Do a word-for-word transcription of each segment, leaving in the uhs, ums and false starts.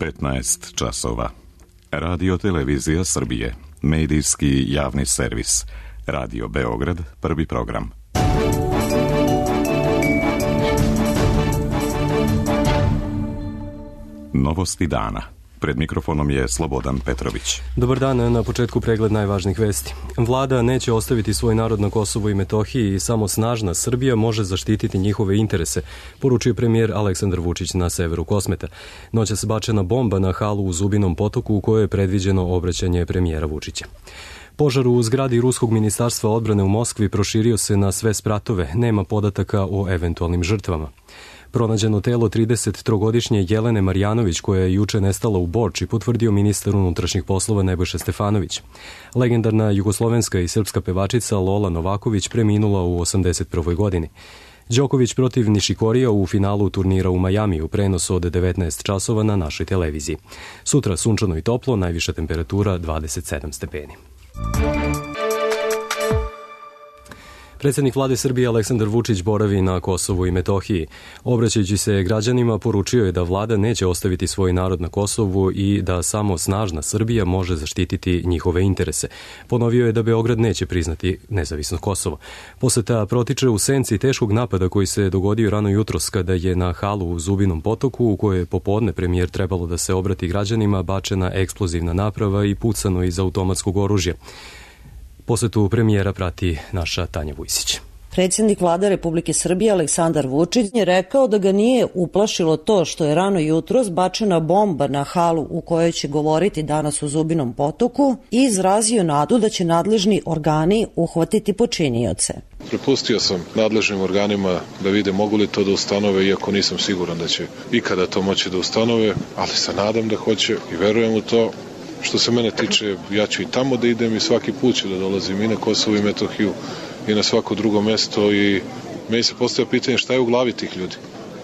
petnaest časova. Radio Televizija Srbije, medijski javni servis. Radio Beograd, prvi program. Novosti dana. Pred mikrofonom je Slobodan Petrović. Dobar dan, na početku pregled najvažnijih vesti. Vlada neće ostaviti svoj narod na Kosovu i Metohiji i samo snažna Srbija može zaštititi njihove interese, poručio premijer Aleksandar Vučić na severu Kosmeta. Noćas bačena bomba na halu u Zubinom Potoku u kojoj je predviđeno obraćanje premijera Vučića. Požar u zgradi Ruskog ministarstva odbrane u Moskvi proširio se na sve spratove, nema podataka o eventualnim žrtvama. Pronađeno telo tridesettrogodišnje Jelene Marjanović, koja je juče nestala u Borči, potvrdio ministar unutrašnjih poslova Nebojša Stefanović. Legendarna jugoslovenska i srpska pevačica Lola Novaković preminula u osamdeset prvoj godini. Đoković protiv Nišikorija u finalu turnira u Majamiju, prenos od devetnaest časova na našoj televiziji. Sutra sunčano i toplo, najviša temperatura dvadeset sedam stepeni. Predsjednik vlade Srbije Aleksandar Vučić boravi na Kosovu i Metohiji. Obraćajući se građanima, poručio je da vlada neće ostaviti svoj narod na Kosovu i da samo snažna Srbija može zaštititi njihove interese. Ponovio je da Beograd neće priznati nezavisno Kosovo. Poseta protiče u senci teškog napada koji se dogodio rano jutros kada je na halu u Zubinom Potoku, u kojoj je popodne premijer trebalo da se obrati građanima, bačena eksplozivna naprava i pucano iz automatskog oružja. Posetu premijera prati naša Tanja Vujsić. Predsjednik vlade Republike Srbije Aleksandar Vučić je rekao da ga nije uplašilo to što je rano jutros bačena bomba na halu u kojoj će govoriti danas u Zubinom Potoku i izrazio nadu da će nadležni organi uhvatiti počinioce. Prepustio sam nadležnim organima da vide mogu li to da ustanove, iako nisam siguran da će ikada to moći da ustanove, ali se nadam da hoće i verujem u to. Što se mene tiče, ja ću i tamo da idem i svaki put ću da dolazim i na Kosovo i Metohiju i na svako drugo mesto i meni se postavlja pitanje šta je u glavi tih ljudi.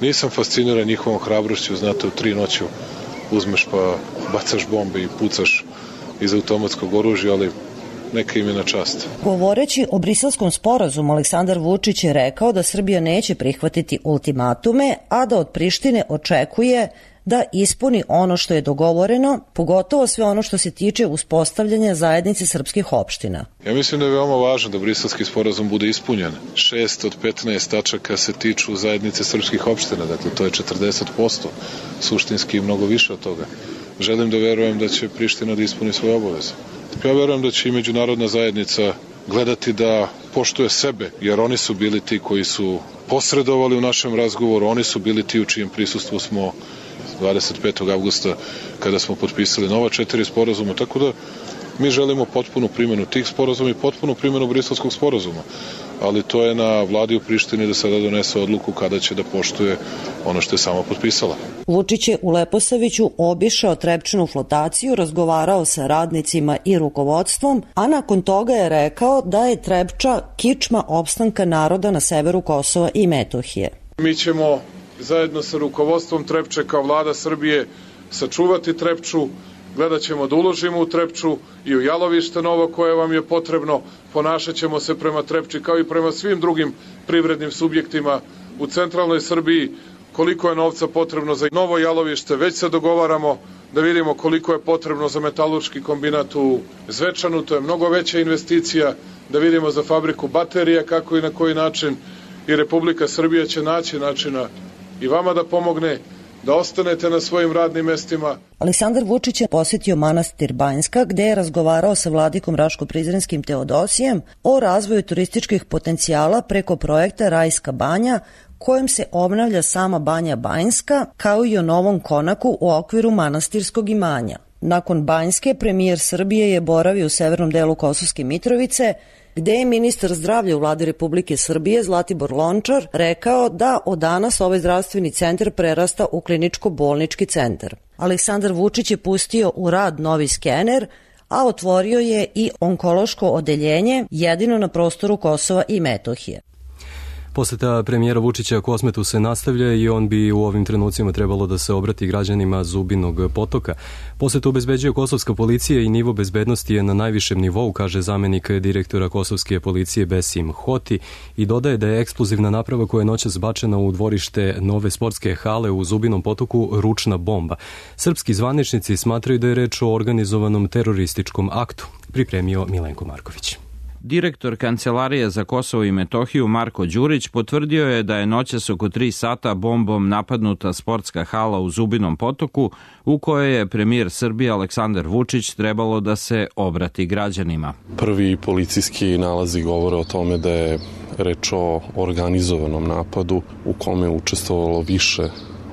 Nisam fasciniran njihovom hrabrošću, znate, u tri noću uzmeš pa bacaš bombe i pucaš iz automatskog oružja, ali neka im je na čast. Govoreći o Briselskom sporazumu, Aleksandar Vučić je rekao da Srbija neće prihvatiti ultimatume, a da od Prištine očekuje da ispuni ono što je dogovoreno, pogotovo sve ono što se tiče uspostavljanja zajednice srpskih opština. Ja mislim da je veoma važno da Briselski sporazum bude ispunjen. Šest od petnaest tačaka se tiču zajednice srpskih opština, dakle to je četrdeset posto, suštinski mnogo više od toga. Želim da verujem da će Priština da ispuni svoje obaveze. Ja verujem da će i međunarodna zajednica gledati da poštuje sebe, jer oni su bili ti koji su posredovali u našem razgovoru, oni su bili ti u čijem prisustvu smo dvadeset petog avgusta kada smo potpisali nova četiri sporazuma, tako da mi želimo potpunu primjenu tih sporazuma i potpunu primjenu Briselskog sporazuma, ali to je na vladi u Prištini da sada donese odluku kada će da poštuje ono što je sama potpisala. Vučić je u Leposaviću obišao Trepčinu flotaciju, razgovarao sa radnicima i rukovodstvom, a nakon toga je rekao da je Trepča kičma opstanka naroda na severu Kosova i Metohije. Mi ćemo zajedno sa rukovodstvom Trepče kao vlada Srbije sačuvati Trepču, gledat ćemo da uložimo u Trepču i u jalovište novo koje vam je potrebno, ponašat ćemo se prema Trepči kao i prema svim drugim privrednim subjektima u centralnoj Srbiji. Koliko je novca potrebno za novo jalovište, već se dogovaramo da vidimo koliko je potrebno za metalurški kombinat u Zvečanu, to je mnogo veća investicija, da vidimo za fabriku baterija kako i na koji način i Republika Srbija će naći načina i vama da pomogne, da ostanete na svojim radnim mestima. Aleksandar Vučić je posjetio manastir Banjska, gde je razgovarao sa vladikom Raško-Prizrenskim Teodosijem o razvoju turističkih potencijala preko projekta Rajska banja, kojim se obnavlja sama Banja Banjska, kao i o novom konaku u okviru manastirskog imanja. Nakon Banjske, premijer Srbije je boravio u severnom delu Kosovske Mitrovice, gde je ministar zdravlja u vladi Republike Srbije Zlatibor Lončar rekao da od danas ovaj zdravstveni centar prerasta u kliničko-bolnički centar. Aleksandar Vučić je pustio u rad novi skener, a otvorio je i onkološko odeljenje jedino na prostoru Kosova i Metohije. Poseta premijera Vučića Kosmetu se nastavlja i on bi u ovim trenucima trebalo da se obrati građanima Zubinog Potoka. Posetu obezbeđuje kosovska policija i nivo bezbednosti je na najvišem nivou, kaže zamenik direktora kosovske policije Besim Hoti, i dodaje da je eksplozivna naprava koja je noćas bačena u dvorište nove sportske hale u Zubinom Potoku ručna bomba. Srpski zvaničnici smatraju da je reč o organizovanom terorističkom aktu, pripremio Milenko Marković. Direktor Kancelarije za Kosovo i Metohiju Marko Đurić potvrdio je da je noćas oko tri sata bombom napadnuta sportska hala u Zubinom Potoku u kojoj je premijer Srbije Aleksandar Vučić trebalo da se obrati građanima. Prvi policijski nalazi govore o tome da je reč o organizovanom napadu u kome je učestvovalo više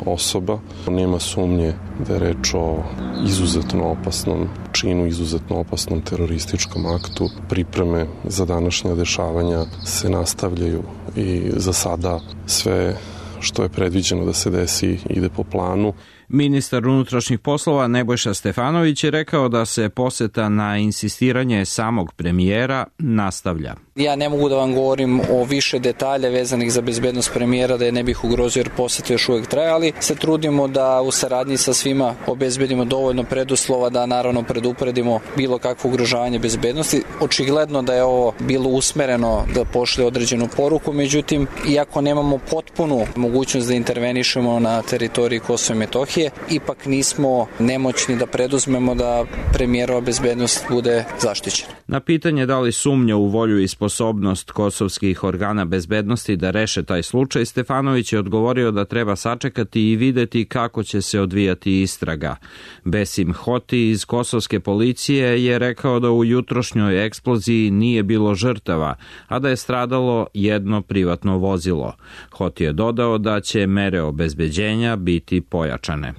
osoba. Nema sumnje da je reč o izuzetno opasnom činu, izuzetno opasnom terorističkom aktu. Pripreme za današnja dešavanja se nastavljaju i za sada sve što je predviđeno da se desi ide po planu. Ministar unutrašnjih poslova Nebojša Stefanović je rekao da se poseta na insistiranje samog premijera nastavlja. Ja ne mogu da vam govorim o više detalja vezanih za bezbednost premijera, da je ne bih ugrozio jer poseta još uvek traje, ali se trudimo da u saradnji sa svima obezbedimo dovoljno preduslova da naravno predupredimo bilo kakvo ugrožavanje bezbednosti. Očigledno da je ovo bilo usmereno da pošle određenu poruku, međutim, iako nemamo potpunu mogućnost da intervenišemo na teritoriji Kosova i Metohije, ipak nismo nemoćni da preduzmemo da premijerova bezbednost bude zaštićena. Na pitanje da li sumnja u volju i sposobnost kosovskih organa bezbednosti da reše taj slučaj, Stefanović je odgovorio da treba sačekati i videti kako će se odvijati istraga. Besim Hoti iz kosovske policije je rekao da u jutrošnjoj eksploziji nije bilo žrtava, a da je stradalo jedno privatno vozilo. Hoti je dodao da će mere obezbeđenja biti pojačane.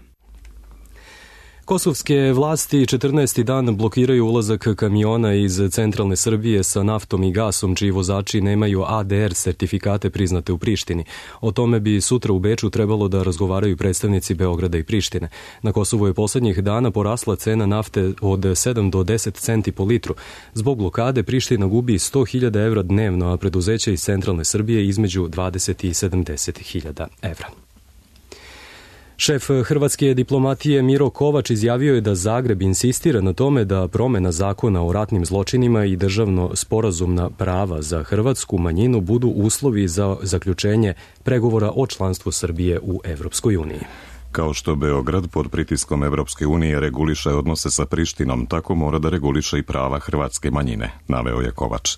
Kosovske vlasti četrnaesti dan blokiraju ulazak kamiona iz centralne Srbije sa naftom i gasom, čiji vozači nemaju A D R sertifikate priznate u Prištini. O tome bi sutra u Beču trebalo da razgovaraju predstavnici Beograda i Prištine. Na Kosovu je poslednjih dana porasla cena nafte od sedam do deset centi po litru. Zbog blokade Priština gubi sto hiljada evra dnevno, a preduzeća iz centralne Srbije između dvadeset i sedamdeset hiljada evra. Šef hrvatske diplomatije Miro Kovač izjavio je da Zagreb insistira na tome da promena zakona o ratnim zločinima i državno sporazumna prava za hrvatsku manjinu budu uslovi za zaključenje pregovora o članstvu Srbije u Evropskoj uniji. Kao što Beograd pod pritiskom Evropske unije reguliše odnose sa Prištinom, tako mora da reguliše i prava hrvatske manjine, naveo je Kovač.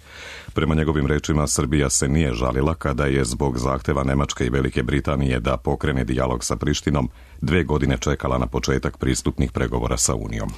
Prema njegovim rečima, Srbija se nije žalila kada je zbog zahteva Nemačke i Velike Britanije da pokrene dijalog sa Prištinom dve godine čekala na početak pristupnih pregovora sa Unijom.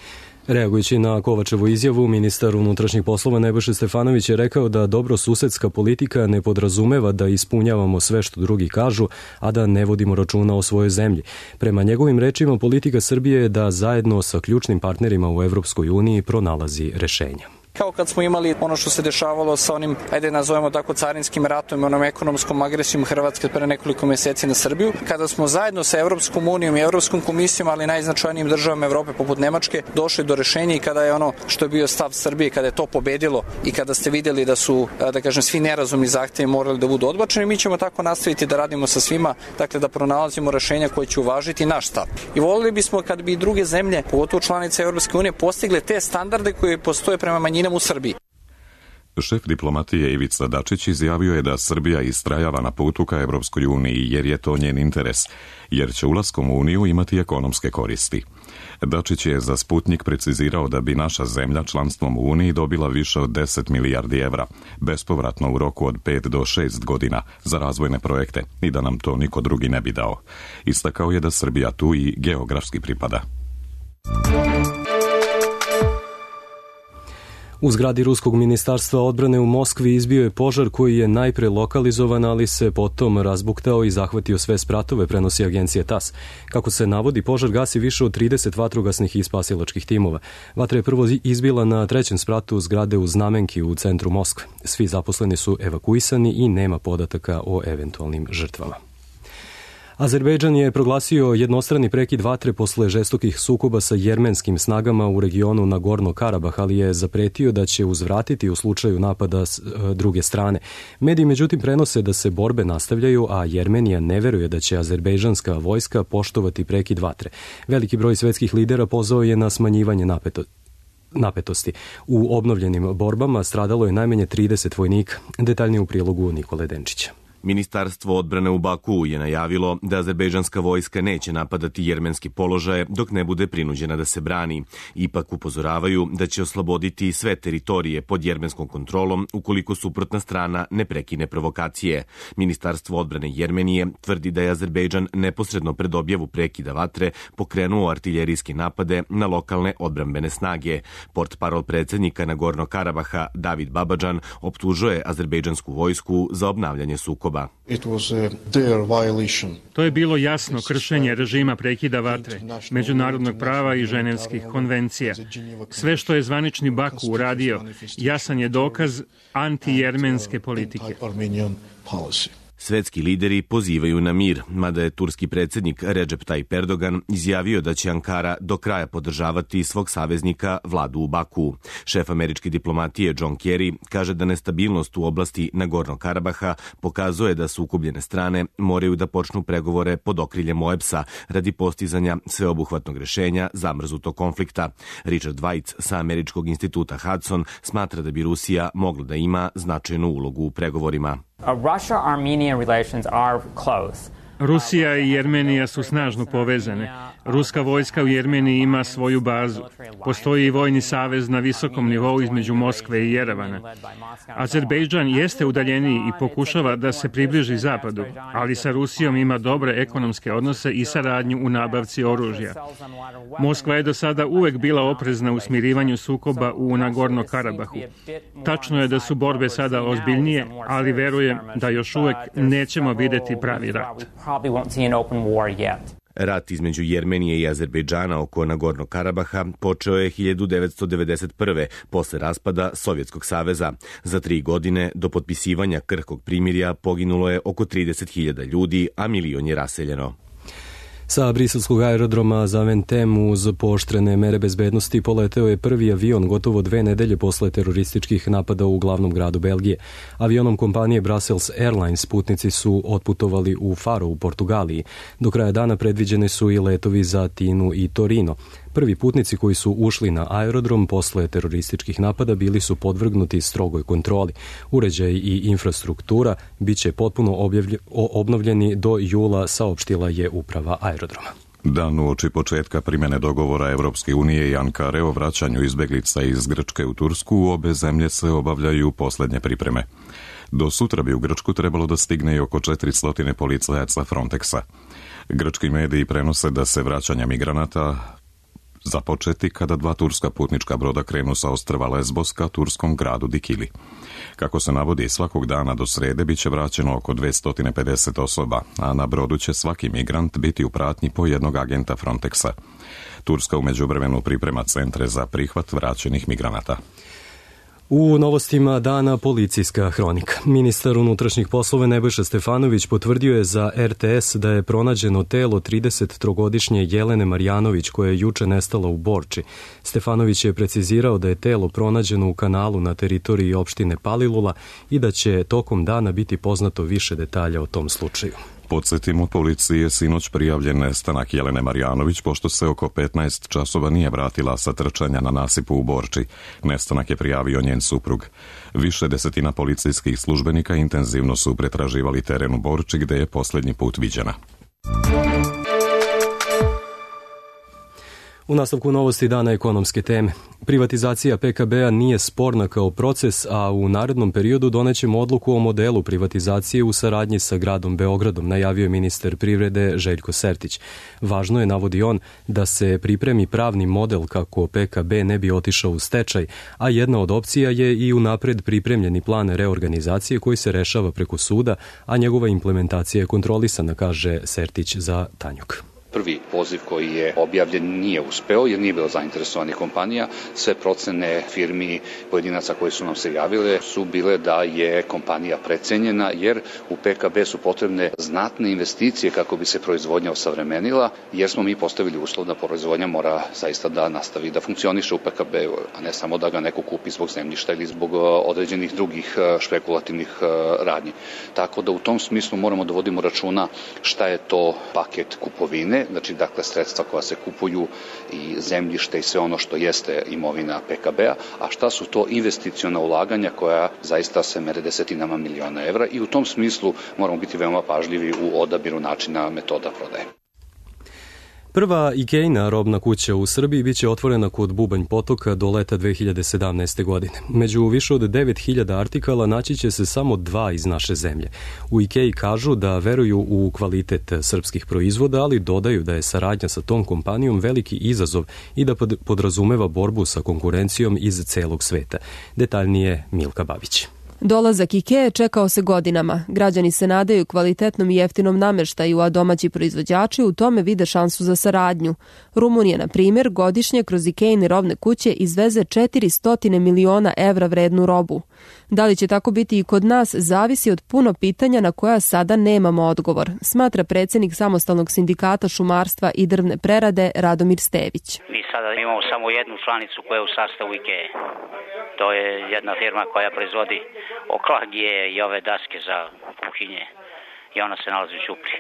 Reagujući na Kovačevu izjavu, ministar unutrašnjih poslova Nebojša Stefanović je rekao da dobrosusedska politika ne podrazumeva da ispunjavamo sve što drugi kažu, a da ne vodimo računa o svojoj zemlji. Prema njegovim rečima, politika Srbije je da zajedno sa ključnim partnerima u Evropskoj uniji pronalazi rešenja. Kao kad smo imali ono što se dešavalo sa onim, ajde nazovemo tako, carinskim ratom i onom ekonomskom agresijom Hrvatske pre nekoliko meseci na Srbiju, kada smo zajedno sa Evropskom unijom i Evropskom komisijom, ali najznačajnijim državama Evrope poput Nemačke, došli do rešenja i kada je ono što je bio stav Srbije, kada je to pobedilo i kada ste videli da su, da kažem, svi nerazumni zahtevi morali da budu odbačeni, mi ćemo tako nastaviti da radimo sa svima, dakle da pronalazimo rešenja koje će uvažiti naš stav. I volili bismo kad bi druge zemlje, pogotovo članice Evropske unije, postigle te standarde koje postoje prema manjinama u Srbiji. Šef diplomatije Ivica Dačić izjavio je da Srbija istrajava na putu ka Evropskoj uniji jer je to njen interes, jer će ulaskom u Uniju imati ekonomske koristi. Dačić je za Sputnik precizirao da bi naša zemlja članstvom u Uniji dobila više od deset milijardi evra, bespovratno u roku od pet do šest godina za razvojne projekte i da nam to niko drugi ne bi dao. Istakao je da Srbija tu i geografski pripada. U zgradi Ruskog ministarstva odbrane u Moskvi izbio je požar koji je najpre lokalizovan, ali se potom razbuktao i zahvatio sve spratove, prenosi agencija T A S. Kako se navodi, požar gasi više od trideset vatrogasnih i spasilačkih timova. Vatra je prvo izbila na trećem spratu zgrade u Znamenki u centru Moskve. Svi zaposleni su evakuisani i nema podataka o eventualnim žrtvama. Azerbejdžan je proglasio jednostrani prekid vatre posle žestokih sukoba sa jermenskim snagama u regionu Nagorno-Karabah, ali je zapretio da će uzvratiti u slučaju napada s druge strane. Mediji međutim prenose da se borbe nastavljaju, a Jermenija ne veruje da će azerbejdžanska vojska poštovati prekid vatre. Veliki broj svetskih lidera pozvao je na smanjivanje napeto, napetosti. U obnovljenim borbama stradalo je najmanje trideset vojnika. Detaljnije u prilogu Nikole Denčića. Ministarstvo odbrane u Bakuu je najavilo da azerbejdžanska vojska neće napadati jermenski položaje dok ne bude prinuđena da se brani. Ipak upozoravaju da će osloboditi sve teritorije pod jermenskom kontrolom ukoliko suprotna strana ne prekine provokacije. Ministarstvo odbrane Jermenije tvrdi da je Azerbejdžan neposredno pred objavu prekida vatre pokrenuo artiljerijske napade na lokalne odbrambene snage. Portparol predsjednika Nagorno-Karabaha David Babadžan optužuje azerbejdžansku vojsku za obnavljanje sukoba. To je bilo jasno kršenje režima prekida vatre, međunarodnog prava i ženevskih konvencija. Sve što je zvanični Baku uradio, jasan je dokaz antijermenske politike. Svetski lideri pozivaju na mir, mada je turski predsjednik Recep Tayyip Erdogan izjavio da će Ankara do kraja podržavati svog saveznika vladu u Baku. Šef američke diplomatije John Kerry kaže da nestabilnost u oblasti Nagorno-Karabaha pokazuje da sukobljene strane moraju da počnu pregovore pod okriljem O E B S-a radi postizanja sveobuhvatnog rešenja zamrznutog konflikta. Richard Weitz sa američkog instituta Hudson smatra da bi Rusija mogla da ima značajnu ulogu u pregovorima. Russia-Armenian relations are close. Rusija i Jermenija su snažno povezane. Ruska vojska u Jermeniji ima svoju bazu. Postoji i vojni savez na visokom nivou između Moskve i Jerevana. Azerbejdžan jeste udaljeniji i pokušava da se približi zapadu, ali sa Rusijom ima dobre ekonomske odnose i saradnju u nabavci oružja. Moskva je do sada uvek bila oprezna u smirivanju sukoba u Nagorno-Karabahu. Tačno je da su borbe sada ozbiljnije, ali verujem da još uvek nećemo videti pravi rat. Rat između Jermenije i Azerbejdžana oko Nagorno-Karabaha počeo je hiljadu devetsto devedeset prve. posle raspada Sovjetskog saveza. Za tri godine do potpisivanja krhkog primirja poginulo je oko trideset hiljada ljudi, a milion je raseljeno. Sa briselskog aerodroma Zaventem uz pooštrene mere bezbednosti poleteo je prvi avion gotovo dve nedelje posle terorističkih napada u glavnom gradu Belgije. Avionom kompanije Brussels Airlines putnici su otputovali u Faro u Portugaliji. Do kraja dana predviđene su i letovi za Tinu i Torino. Prvi putnici koji su ušli na aerodrom posle terorističkih napada bili su podvrgnuti strogoj kontroli. Uređaj i infrastruktura biće potpuno obnovljeni do jula, saopštila je uprava aerodroma. Dan uoči početka primjene dogovora Evropske unije i Ankare o vraćanju izbeglica iz Grčke u Tursku, obe zemlje se obavljaju poslednje pripreme. Do sutra bi u Grčku trebalo da stigne i oko četiristo policajaca Frontexa. Grčki mediji prenose da se vraćanja migranata započeti kada dva turska putnička broda krenu sa ostrva Lesbos ka turskom gradu Dikili. Kako se navodi, svakog dana do srede biće vraćeno oko dvesta pedeset osoba, a na brodu će svaki migrant biti u pratnji po jednog agenta Frontexa. Turska u međuvremenu priprema centre za prihvat vraćenih migranata. U novostima dana policijska hronika. Ministar unutrašnjih poslova Nebojša Stefanović potvrdio je za R T S da je pronađeno telo tridesettrogodišnje Jelene Marjanović koja je juče nestala u Borči. Stefanović je precizirao da je telo pronađeno u kanalu na teritoriji opštine Palilula i da će tokom dana biti poznato više detalja o tom slučaju. Podsjetimo, policiji je sinoć prijavljen nestanak Jelene Marjanović pošto se oko petnaest časova nije vratila sa trčanja na nasipu u Borči. Nestanak je prijavio njen suprug. Više desetina policijskih službenika intenzivno su pretraživali teren u Borči gde je posljednji put viđena. U nastavku novosti dana ekonomske teme. Privatizacija P K B-a nije sporna kao proces, a u narednom periodu donećemo odluku o modelu privatizacije u saradnji sa gradom Beogradom, najavio je ministar privrede Željko Sertić. Važno je, navodi on, da se pripremi pravni model kako P K B ne bi otišao u stečaj, a jedna od opcija je i unapred pripremljeni plan reorganizacije koji se rešava preko suda, a njegova implementacija je kontrolisana, kaže Sertić za Tanjuk. prvi poziv koji je objavljen nije uspeo jer nije bilo zainteresovanih kompanija. Sve procene firmi pojedinaca koji su nam se javile su bile da je kompanija precenjena jer u P K B su potrebne znatne investicije kako bi se proizvodnja osavremenila, jer smo mi postavili uslov da proizvodnja mora zaista da nastavi da funkcioniše u P K B-u, a ne samo da ga neko kupi zbog zemljišta ili zbog određenih drugih špekulativnih radnji. Tako da u tom smislu moramo da vodimo računa šta je to paket kupovine, znači dakle sredstva koja se kupuju i zemljište i sve ono što jeste imovina P K B-a, a šta su to investiciona ulaganja koja zaista se mere desetinama miliona evra i u tom smislu moramo biti veoma pažljivi u odabiru načina metoda prodaje. Prva Ikeina robna kuća u Srbiji biće otvorena kod Bubanj potoka do leta dve hiljade sedamnaeste. godine. Među više od devet hiljada artikala naći će se samo dva iz naše zemlje. U Ikei kažu da veruju u kvalitet srpskih proizvoda, ali dodaju da je saradnja sa tom kompanijom veliki izazov i da podrazumeva borbu sa konkurencijom iz celog sveta. Detaljnije Milka Babić. Dolazak Ikee čekao se godinama. Građani se nadaju kvalitetnom i jeftinom nameštaju, a domaći proizvođači u tome vide šansu za saradnju. Rumunija, na primjer, godišnje kroz Ikeine robne kuće izveze četiristo miliona evra vrednu robu. Da li će tako biti i kod nas, zavisi od puno pitanja na koja sada nemamo odgovor, smatra predsjednik samostalnog sindikata šumarstva i drvne prerade Radomir Stević. Mi sada imamo samo jednu članicu koja je u sastavu Ikee. To je jedna firma koja proizvodi oklagije i ove daske za kuhinje i ona se nalazi u Ćupriji.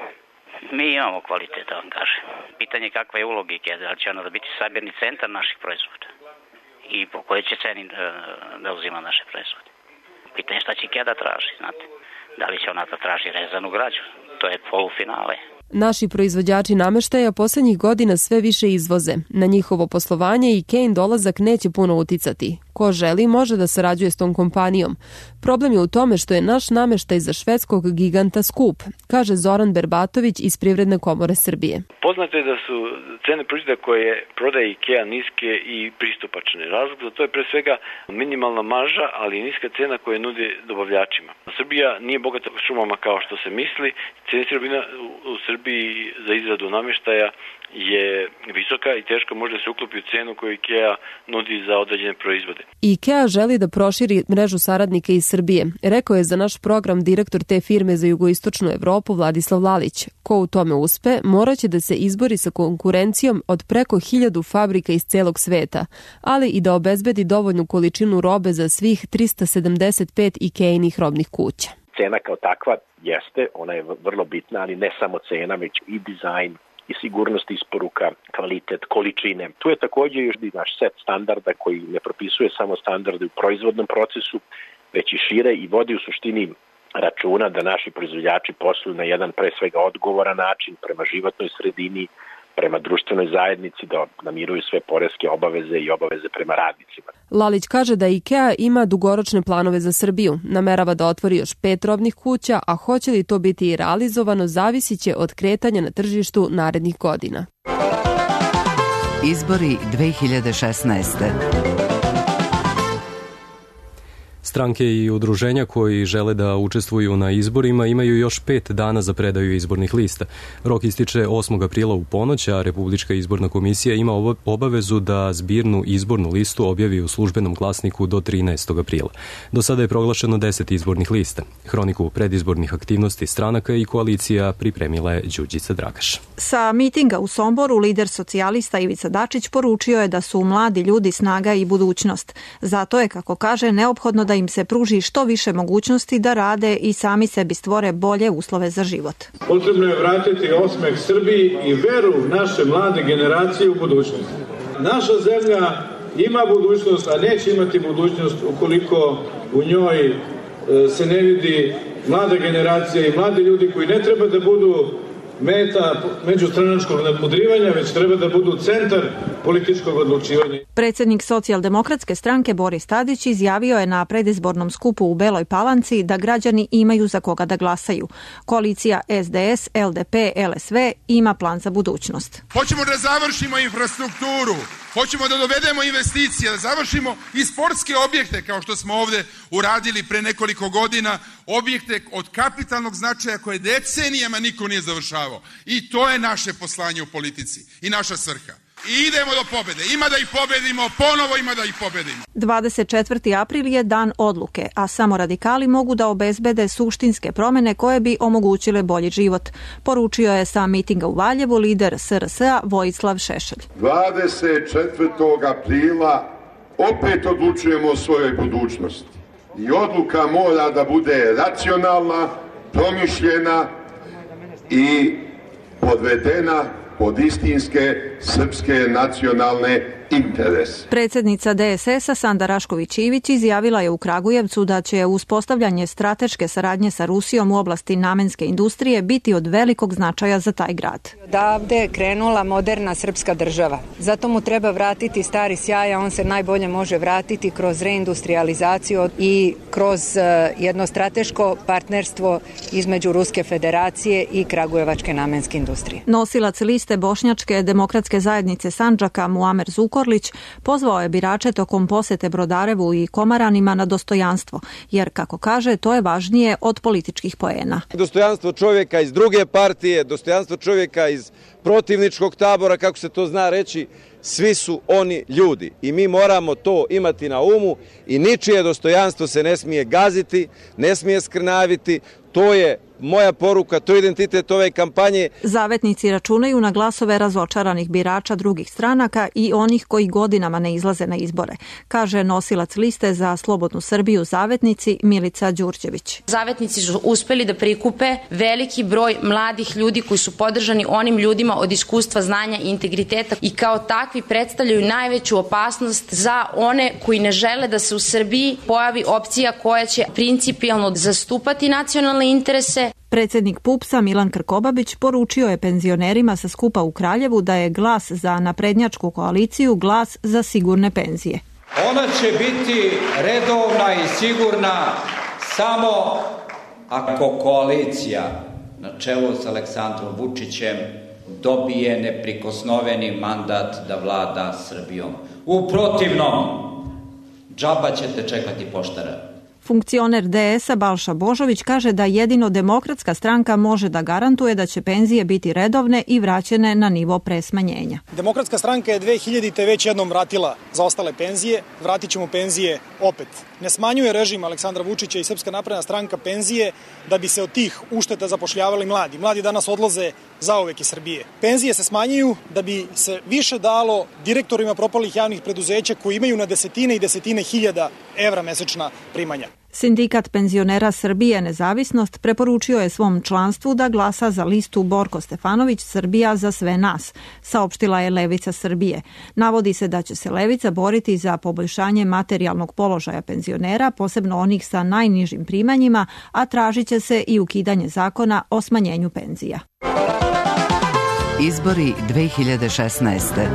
Mi imamo kvalitet, da vam kažem. Pitanje kakva je uloga Ikea, da li će ona da biti sabirni centar naših proizvoda i po kojoj će ceni da uzima naše proizvode. Pitanje šta će Ikea da traži, znate. Da li će ona da traži rezanu građu, to je polufinale. Naši proizvođači nameštaja posljednjih godina sve više izvoze. Na njihovo poslovanje Ikein dolazak neće puno uticati. Ko želi može da sarađuje s tom kompanijom. Problem je u tome što je naš nameštaj za švedskog giganta skup, kaže Zoran Berbatović iz Privredne komore Srbije. Poznato je da su cene proizvoda koje prodaje Ikea niske i pristupačne. Razlog za to je pre svega minimalna marža, ali niska cena koje nude dobavljačima. Srbija nije bogata šumama kao što se misli. Cena sirovina u Srbiji za izradu nameštaja je visoka i teško može da se uklopi u cenu koju Ikea nudi za određene proizvode. Ikea želi da proširi mrežu saradnika iz Srbije, rekao je za naš program direktor te firme za jugoistočnu Evropu Vladislav Lalić. Ko u tome uspe, moraće da se izbori sa konkurencijom od preko hiljadu fabrika iz celog sveta, ali i da obezbedi dovoljnu količinu robe za svih trista sedamdeset pet Ikeinih robnih kuća. Cena kao takva jeste, ona je vrlo bitna, ali ne samo cena, već i dizajn, i sigurnost isporuka, kvalitet, količine. Tu je također još i naš set standarda koji ne propisuje samo standarde u proizvodnom procesu, već i šire i vodi u suštini računa da naši proizvođači posluju na jedan pre svega odgovoran način prema životnoj sredini, prema društvenoj zajednici, da namiruju sve poreske obaveze i obaveze prema radnicima. Lalić kaže da Ikea ima dugoročne planove za Srbiju. Namerava da otvori još pet robnih kuća, a hoće li to biti i realizovano zavisit će od kretanja na tržištu narednih godina. Izbori dve hiljade šesnaeste. Stranke i udruženja koji žele da učestvuju na izborima imaju još pet dana za predaju izbornih lista. Rok ističe osmog aprila u ponoć, a Republička izborna komisija ima obavezu da zbirnu izbornu listu objavi u službenom glasniku do trinaestog aprila. Do sada je proglašeno deset izbornih lista. Hroniku predizbornih aktivnosti stranaka i koalicija pripremila je Đurđica Dragaš. Sa mitinga u Somboru lider socijalista Ivica Dačić poručio je da su mladi ljudi snaga i budućnost. Zato je, kako kaže, neophodno da im se pruži što više mogućnosti da rade i sami sebi stvore bolje uslove za život. Potrebno je vratiti osmeh Srbiji i veru naše mlade generacije u budućnost. Naša zemlja ima budućnost, a neće imati budućnost ukoliko u njoj se ne vidi mlada generacija i mladi ljudi koji ne treba da budu meta međustranačkog nadmudrivanja, već treba da budu centar političkog odlučivanja. Predsjednik socijaldemokratske stranke Boris Tadić izjavio je na predizbornom skupu u Beloj Palanci da građani imaju za koga da glasaju. Koalicija S D S, L D P, L S V ima plan za budućnost. Hoćemo da završimo infrastrukturu, hoćemo da dovedemo investicije, da završimo i sportske objekte kao što smo ovde uradili pre nekoliko godina, objekte od kapitalnog značaja koje decenijama niko nije završavao. pravo. I to je naše poslanje u politici i naša svrha. I idemo do pobede. Ima da ih pobedimo, ponovo ima da ih pobedimo. dvadeset četvrti april je dan odluke, a samo radikali mogu da obezbede suštinske promene koje bi omogućile bolji život. Poručio je sa mitinga u Valjevu lider S R S-a Vojislav Šešelj. dvadeset četvrtog aprila opet odlučujemo o svojoj budućnosti. I odluka mora da bude racionalna, promišljena i podvedena pod istinske srpske nacionalne interes. Predsjednica D S S-a Sanda Rašković-Ivić izjavila je u Kragujevcu da će uspostavljanje strateške saradnje sa Rusijom u oblasti namenske industrije biti od velikog značaja za taj grad. Odavde je krenula moderna srpska država. Zato mu treba vratiti stari sjaj, a on se najbolje može vratiti kroz reindustrializaciju i kroz jedno strateško partnerstvo između Ruske federacije i Kragujevačke namenske industrije. Nosilac liste Bošnjačke demokratske zajednice Sandžaka Muamer Zukorlić pozvao je birače tokom posete Brodarevu i Komaranima na dostojanstvo, jer, kako kaže, to je važnije od političkih poena. Dostojanstvo čovjeka iz druge partije, dostojanstvo čovjeka iz protivničkog tabora, kako se to zna reći, svi su oni ljudi i mi moramo to imati na umu i ničije dostojanstvo se ne smije gaziti, ne smije skrnaviti. To je moja poruka, to je identitet ove kampanje. Zavetnici računaju na glasove razočaranih birača drugih stranaka i onih koji godinama ne izlaze na izbore, kaže nosilac liste za Slobodnu Srbiju Zavetnici Milica Đurđević. Zavetnici su uspeli da prikupe veliki broj mladih ljudi koji su podržani onim ljudima od iskustva, znanja i integriteta i kao takvi predstavljaju najveću opasnost za one koji ne žele da se u Srbiji pojavi opcija koja će principijelno zastupati nacionalne interese. Predsjednik P U P S-a Milan Krkobabić poručio je penzionerima sa skupa u Kraljevu da je glas za naprednjačku koaliciju glas za sigurne penzije. Ona će biti redovna i sigurna samo ako koalicija na čelu s Aleksandrom Vučićem dobije neprikosnoveni mandat da vlada Srbijom. U protivnom, džaba ćete čekati poštara. Funkcioner D S-a Balša Božović kaže da jedino Demokratska stranka može da garantuje da će penzije biti redovne i vraćene na nivo pre smanjenja. Demokratska stranka je dve hiljadite već jednom vratila zaostale penzije, vratit ćemo penzije opet. Ne smanjuje režim Aleksandra Vučića i Srpska napredna stranka penzije da bi se od tih ušteta zapošljavali mladi. Mladi danas odlaze zauvek iz Srbije. Penzije se smanjuju da bi se više dalo direktorima propalih javnih preduzeća koji imaju na desetine i desetine hiljada evra mesečna primanja. Sindikat penzionera Srbije Nezavisnost preporučio je svom članstvu da glasa za listu Borko Stefanović Srbija za sve nas, saopštila je Levica Srbije. Navodi se da će se Levica boriti za poboljšanje materijalnog položaja penzionera, posebno onih sa najnižim primanjima, a tražit će se i ukidanje zakona o smanjenju penzija. Izbori dve hiljade šesnaeste.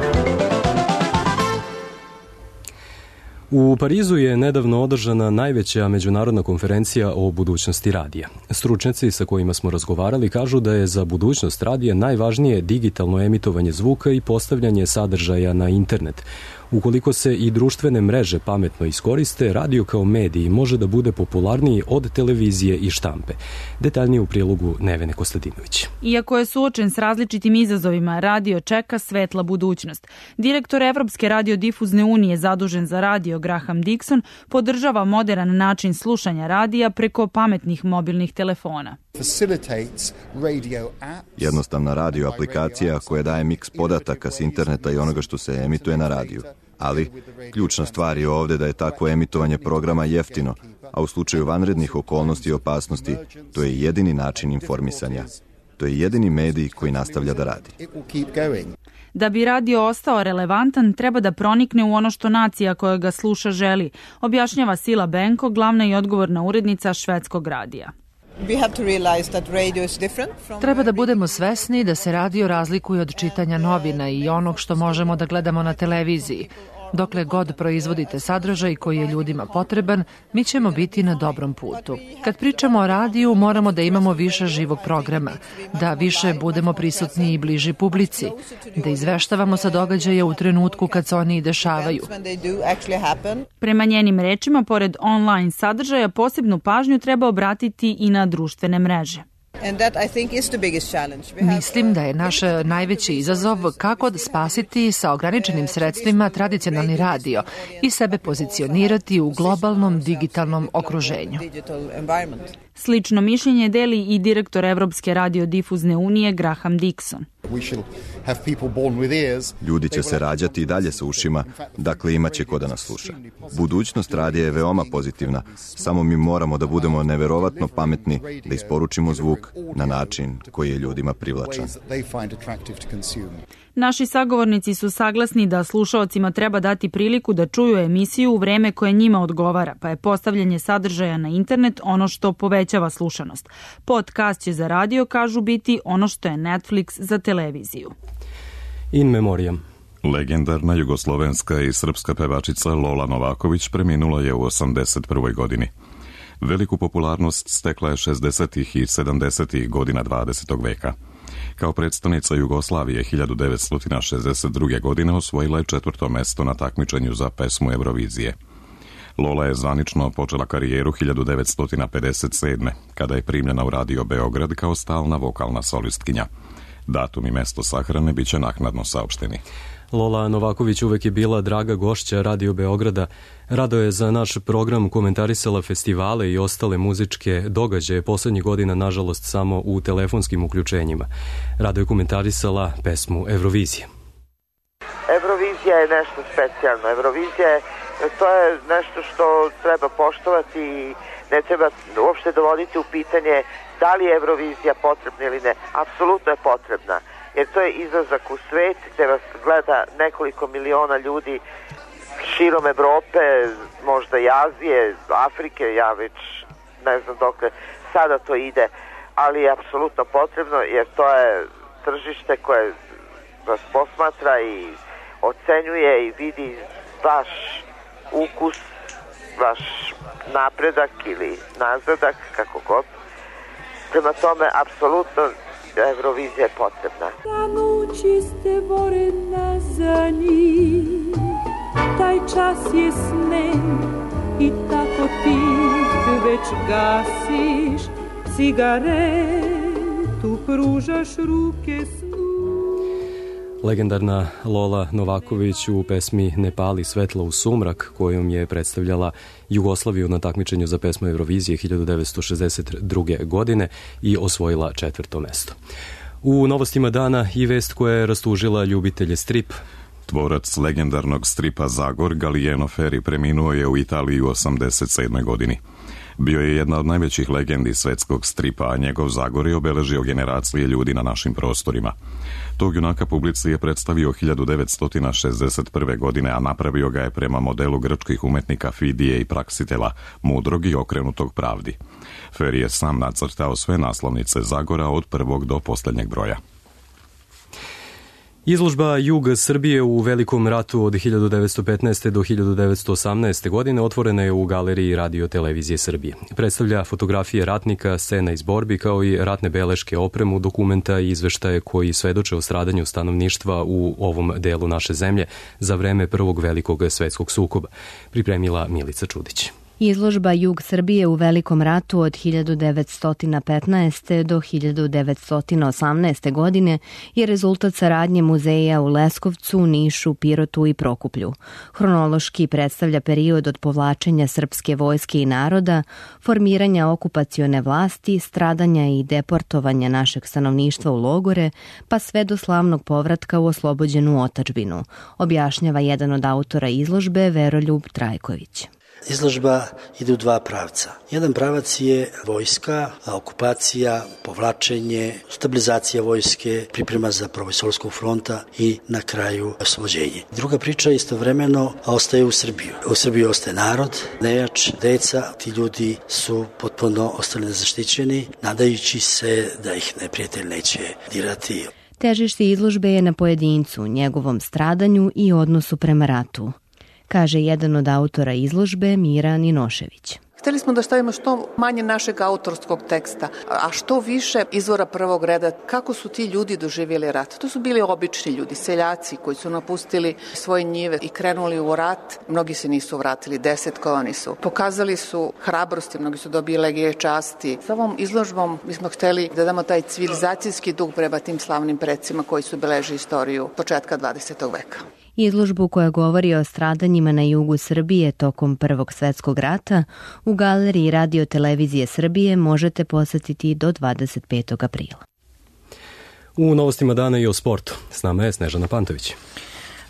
U Parizu je nedavno održana najveća međunarodna konferencija o budućnosti radija. Stručnjaci sa kojima smo razgovarali kažu da je za budućnost radija najvažnije digitalno emitovanje zvuka i postavljanje sadržaja na internet. Ukoliko se i društvene mreže pametno iskoriste, radio kao medij može da bude popularniji od televizije i štampe. Detaljnije u prilogu Nevene Kostadinović. Iako je suočen s različitim izazovima, radio čeka svetla budućnost. Direktor Evropske radiodifuzne unije zadužen za radio Graham Dixon podržava modern način slušanja radija preko pametnih mobilnih telefona. Jednostavna radio aplikacija koja daje miks podataka s interneta i onoga što se emituje na radiju. Ali, ključna stvar je ovdje da je takvo emitovanje programa jeftino, a u slučaju vanrednih okolnosti i opasnosti, to je jedini način informisanja. To je jedini medij koji nastavlja da radi. Da bi radio ostao relevantan, treba da pronikne u ono što nacija koja ga sluša želi, objašnjava Sila Benko, glavna i odgovorna urednica švedskog radija. Treba da budemo svesni da se radio razlikuje od čitanja novina i onog što možemo da gledamo na televiziji. Dokle god proizvodite sadržaj koji je ljudima potreban, mi ćemo biti na dobrom putu. Kad pričamo o radiju, moramo da imamo više živog programa, da više budemo prisutni i bliži publici, da izveštavamo sa događaja u trenutku kad se oni i dešavaju. Prema njenim rečima, pored online sadržaja, posebnu pažnju treba obratiti i na društvene mreže. Mislim da je naš najveći izazov kako spasiti sa ograničenim sredstvima tradicionalni radio i sebe pozicionirati u globalnom digitalnom okruženju. Slično mišljenje deli i direktor Evropske radiodifuzne unije Graham Dixon. Ljudi će se rađati i dalje sa ušima, dakle imaće ko da nas sluša. Budućnost radija je veoma pozitivna, samo mi moramo da budemo neverovatno pametni, da isporučimo zvuk na način koji je ljudima privlačan. Naši sagovornici su saglasni da slušaocima treba dati priliku da čuju emisiju u vreme koje njima odgovara, pa je postavljanje sadržaja na internet ono što povećava slušanost. Podcast će za radio, kažu, biti ono što je Netflix za televiziju. In memoriam. Legendarna jugoslovenska i srpska pevačica Lola Novaković preminula je u osamdeset prvoj godini. Veliku popularnost stekla je šezdesetih i sedamdesetih godina dvadesetog veka. Kao predstavnica Jugoslavije hiljadu devetsto šezdeset druge. godine osvojila je četvrto mesto na takmičenju za pesmu Eurovizije. Lola je zvanično počela karijeru hiljadu devetsto pedeset sedme. kada je primljena u Radio Beograd kao stalna vokalna solistkinja. Datum i mesto sahrane biće naknadno saopšteni. Lola Novaković uvek je bila draga gošća Radio Beograda. Rado je za naš program komentarisala festivale i ostale muzičke događaje, poslednjih godina nažalost samo u telefonskim uključenjima. Rado je komentarisala pesmu Eurovizije. Eurovizija je nešto specijalno. Eurovizija je, to je nešto što treba poštovati i ne treba uopšte dovoditi u pitanje da li je Eurovizija potrebna ili ne. Apsolutno je potrebna. Jer to je izlazak u svet gde vas gleda nekoliko miliona ljudi širom Evrope, možda i Azije, Afrike, ja već ne znam dok sada to ide, ali je apsolutno potrebno jer to je tržište koje vas posmatra i ocenjuje i vidi vaš ukus, vaš napredak ili nazadak, kako god. Prema tome, apsolutno Eurovizija je potrebna. Danući ste vorena za njih, taj čas je snen i tako ti već gasiš cigaretu, pružaš ruke snu. Legendarna Lola Novaković u pesmi Ne pali svetlo u sumrak, kojom je predstavljala Jugoslaviju na takmičenju za pesmu Eurovizije hiljadu devetsto šezdeset druge. godine i osvojila četvrto mesto. U novostima dana i vest koja je rastužila ljubitelje strip. Tvorac legendarnog stripa Zagor, Gallieno Ferri, preminuo je u Italiji u osamdeset sedmoj. godini. Bio je jedna od najvećih legendi svetskog stripa, a njegov Zagor je obeležio generacije ljudi na našim prostorima. Tog junaka publici je predstavio hiljadu devetsto šezdeset prve. godine, a napravio ga je prema modelu grčkih umetnika Fidije i Praksitela, mudrog i okrenutog pravdi. Ferri je sam nacrtao sve naslovnice Zagora od prvog do poslednjeg broja. Izložba Jug Srbije u Velikom ratu od hiljadu devetsto petnaeste. do hiljadu devetsto osamnaeste. godine otvorena je u Galeriji Radio Televizije Srbije. Predstavlja fotografije ratnika, scena iz borbi, kao i ratne beleške, opremu, dokumenta i izveštaje koji svedoče o stradanju stanovništva u ovom delu naše zemlje za vreme Prvog velikog svetskog sukoba. Pripremila Milica Čudić. Izložba Jug Srbije u Velikom ratu od hiljadu devetsto petnaeste. do hiljadu devetsto osamnaeste. godine je rezultat saradnje muzeja u Leskovcu, Nišu, Pirotu i Prokuplju. Hronološki predstavlja period od povlačenja srpske vojske i naroda, formiranja okupacione vlasti, stradanja i deportovanja našeg stanovništva u logore, pa sve do slavnog povratka u oslobođenu otadžbinu, objašnjava jedan od autora izložbe, Veroljub Trajković. Izložba ide u dva pravca. Jedan pravac je vojska, okupacija, povlačenje, stabilizacija vojske, priprema za prvoj Solunskog fronta i na kraju oslobođenje. Druga priča istovremeno ostaje u Srbiju. U Srbiji ostaje narod, nejač, deca, ti ljudi su potpuno ostali nezaštićeni, nadajući se da ih neprijatelj neće dirati. Težište izložbe je na pojedincu, njegovom stradanju i odnosu prema ratu, kaže jedan od autora izložbe, Mira Ninošević. Hteli smo da stavimo što manje našeg autorskog teksta, a što više izvora prvog reda. Kako su ti ljudi doživjeli rat? To su bili obični ljudi, seljaci koji su napustili svoje njive i krenuli u rat. Mnogi se nisu vratili, desetkovani su. Pokazali su hrabrosti, mnogi su dobili legije časti. Sa ovom izložbom mi smo hteli da damo taj civilizacijski duh prema tim slavnim precima koji su beleži istoriju početka dvadesetog veka. Izložbu koja govori o stradanjima na jugu Srbije tokom Prvog svetskog rata u galeriji Radio Televizije Srbije možete posetiti do dvadeset petog aprila. U novostima dana i o sportu. S nama je Snežana Pantović.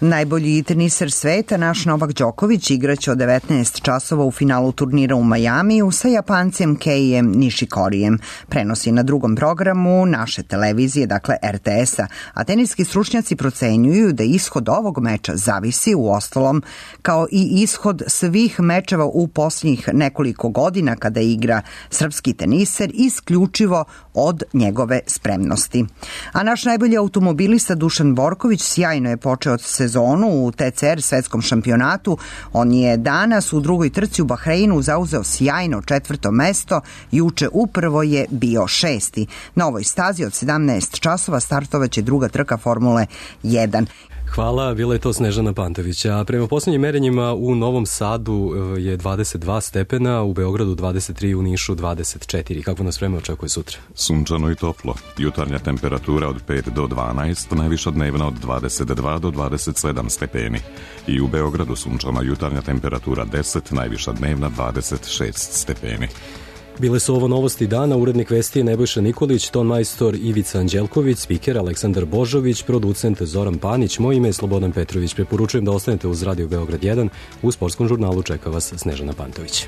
Najbolji teniser sveta, naš Novak Đoković, igraće od devetnaest časova u finalu turnira u Majamiju sa Japancem Keijem Nishikorijem. Prenosi na drugom programu naše televizije, dakle er te es-a, a teniski stručnjaci procenjuju da ishod ovog meča zavisi u ostalom kao i ishod svih mečeva u posljednjih nekoliko godina kada igra srpski teniser isključivo od njegove spremnosti. A naš najbolji automobilista Dušan Borković sjajno je počeo sezonu u te ce er svetskom šampionatu. On je danas u drugoj trci u Bahreinu zauzeo sjajno četvrto mesto, juče upravo je bio šesti. Na ovoj stazi od sedamnaest časova startovaće druga trka Formule jedan. Hvala, bila je to Snežana Pantović. A prema posljednjim merenjima u Novom Sadu je dvadeset dva stepena, u Beogradu dvadeset tri, u Nišu dvadeset četiri. Kako nas vreme očekuje sutra? Sunčano i toplo. Jutarnja temperatura od pet do dvanaest, najviša dnevna od dvadeset dva do dvadeset sedam stepeni. I u Beogradu sunčana jutarnja temperatura deset, najviša dnevna dvadeset šest stepeni. Bile su ovo novosti dana, urednik vesti je Nebojša Nikolić, ton majstor Ivica Anđelković, spiker Aleksandar Božović, producent Zoran Panić, moje ime je Slobodan Petrović. Preporučujem da ostanete uz Radio Beograd jedan, u sportskom žurnalu čeka vas Snežana Pantović.